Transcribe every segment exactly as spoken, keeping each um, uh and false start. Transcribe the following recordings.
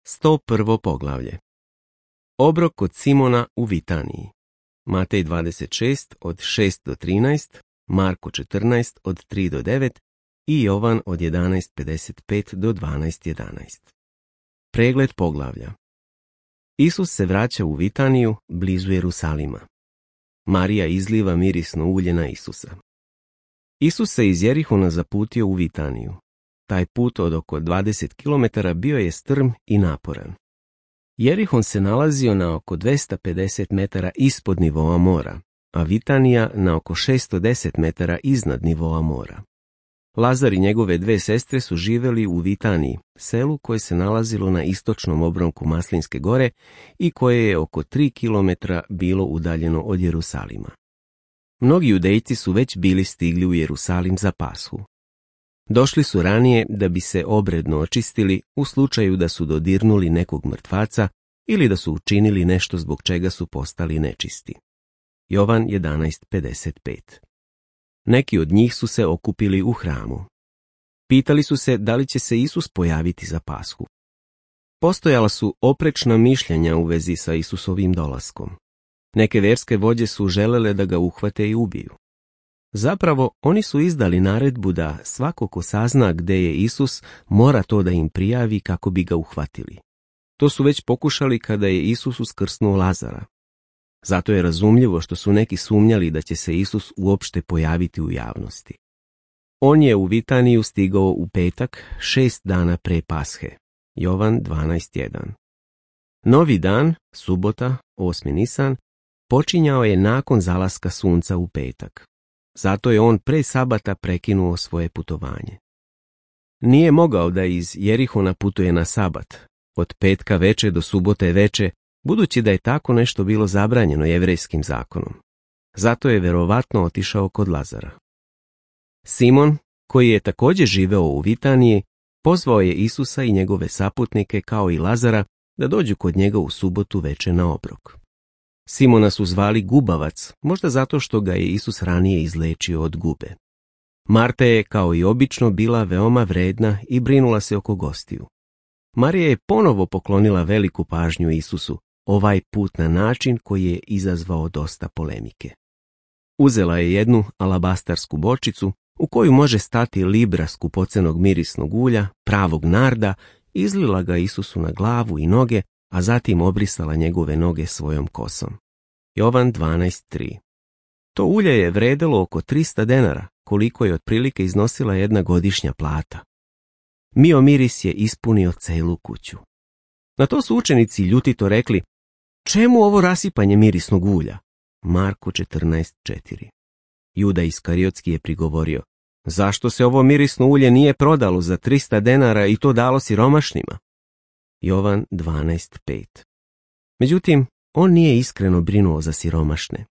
sto prvo poglavlje. Obrok kod Simona u Vitaniji. Matej dvadeset šest od šest do trinaest, Marko četrnaest od tri do devet i Jovan od jedanaest pedeset pet do dvanaest jedanaest. Pregled poglavlja. Isus se vraća u Vitaniju, blizu Jerusalima. Marija izliva mirisno ulje na Isusa. Isus se iz Jerihona zaputio u Vitaniju. Taj put od oko dvadeset kilometara bio je strm i naporan. Jerihon se nalazio na oko dvesta pedeset metara ispod nivoa mora, a Vitanija na oko šesto deset metara iznad nivoa mora. Lazar i njegove dve sestre su živjeli u Vitaniji, selu koje se nalazilo na istočnom obronku Maslinske gore i koje je oko tri kilometra bilo udaljeno od Jerusalima. Mnogi judejci su već bili stigli u Jerusalim za Pashu. Došli su ranije da bi se obredno očistili u slučaju da su dodirnuli nekog mrtvaca ili da su učinili nešto zbog čega su postali nečisti. Jovan jedanaest pedeset pet. Neki od njih su se okupili u hramu. Pitali su se da li će se Isus pojaviti za Pashu. Postojala su oprečna mišljenja u vezi sa Isusovim dolaskom. Neke verske vođe su želele da ga uhvate i ubiju. Zapravo, oni su izdali naredbu da svako ko sazna gde je Isus mora to da im prijavi kako bi ga uhvatili. To su već pokušali kada je Isus uskrsnuo Lazara. Zato je razumljivo što su neki sumnjali da će se Isus uopšte pojaviti u javnosti. On je u Vitaniju stigao u petak, šest dana pre Pashe. Jovan dvanaest jedan. Novi dan, subota, osmi Nisan, počinjao je nakon zalaska sunca u petak. Zato je on pre sabata prekinuo svoje putovanje. Nije mogao da iz Jerihona putuje na sabat, od petka veče do subote veče, budući da je tako nešto bilo zabranjeno jevrejskim zakonom. Zato je verovatno otišao kod Lazara. Simon, koji je također živeo u Vitaniji, pozvao je Isusa i njegove saputnike kao i Lazara da dođu kod njega u subotu veče na obrok. Simona su zvali Gubavac, možda zato što ga je Isus ranije izlečio od gube. Marta je, kao i obično, bila veoma vredna i brinula se oko gostiju. Marija je ponovo poklonila veliku pažnju Isusu, ovaj put na način koji je izazvao dosta polemike. Uzela je jednu alabastarsku bočicu u koju može stati libra skupocenog mirisnog ulja, pravog narda, izlila ga Isusu na glavu i noge, a zatim obrisala njegove noge svojom kosom. Jovan dvanaest tri. To ulje je vredelo oko trista denara, koliko je otprilike iznosila jedna godišnja plata. Mio miris je ispunio celu kuću. Na to su učenici ljutito rekli: čemu ovo rasipanje mirisnog ulja? Marko četrnaest četiri. Juda Iskariotski je prigovorio: zašto se ovo mirisno ulje nije prodalo za trista denara i to dalo siromašnima? Jovan dvanaest pet. Međutim, on nije iskreno brinuo za siromašne.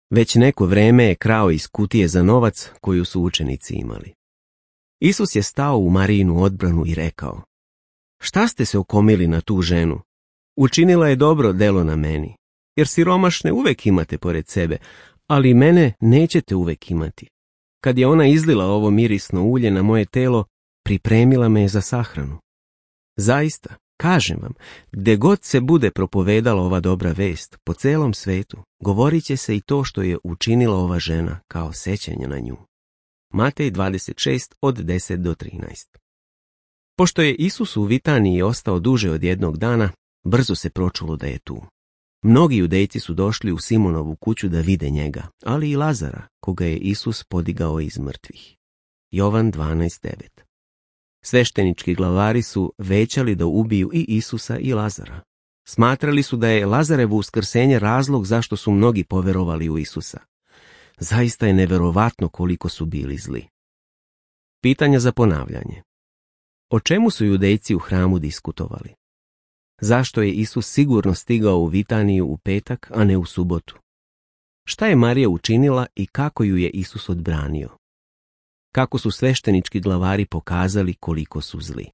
Već neko vreme je krao iz kutije za novac koju su učenici imali. Isus je stao u Marijinu odbranu i rekao: šta ste se okomili na tu ženu? Učinila je dobro delo na meni, jer siromašne uvek imate pored sebe, ali mene nećete uvek imati. Kad je ona izlila ovo mirisno ulje na moje telo, pripremila me je za sahranu. Zaista, kažem vam, gde god se bude propovedala ova dobra vest po celom svetu, govorit će se i to što je učinila ova žena kao sećanje na nju. Matej dvadeset šest od deset do trinaest. Pošto je Isus u Vitaniji ostao duže od jednog dana, brzo se pročulo da je tu. Mnogi judejci su došli u Simonovu kuću da vide njega, ali i Lazara, koga je Isus podigao iz mrtvih. Jovan dvanaest devet. Sveštenički glavari su većali da ubiju i Isusa i Lazara. Smatrali su da je Lazarevo uskrsenje razlog zašto su mnogi poverovali u Isusa. Zaista je neverovatno koliko su bili zli. Pitanja za ponavljanje. O čemu su judejci u hramu diskutovali? Zašto je Isus sigurno stigao u Vitaniju u petak, a ne u subotu? Šta je Marija učinila i kako ju je Isus odbranio? Kako su sveštenički glavari pokazali koliko su zli?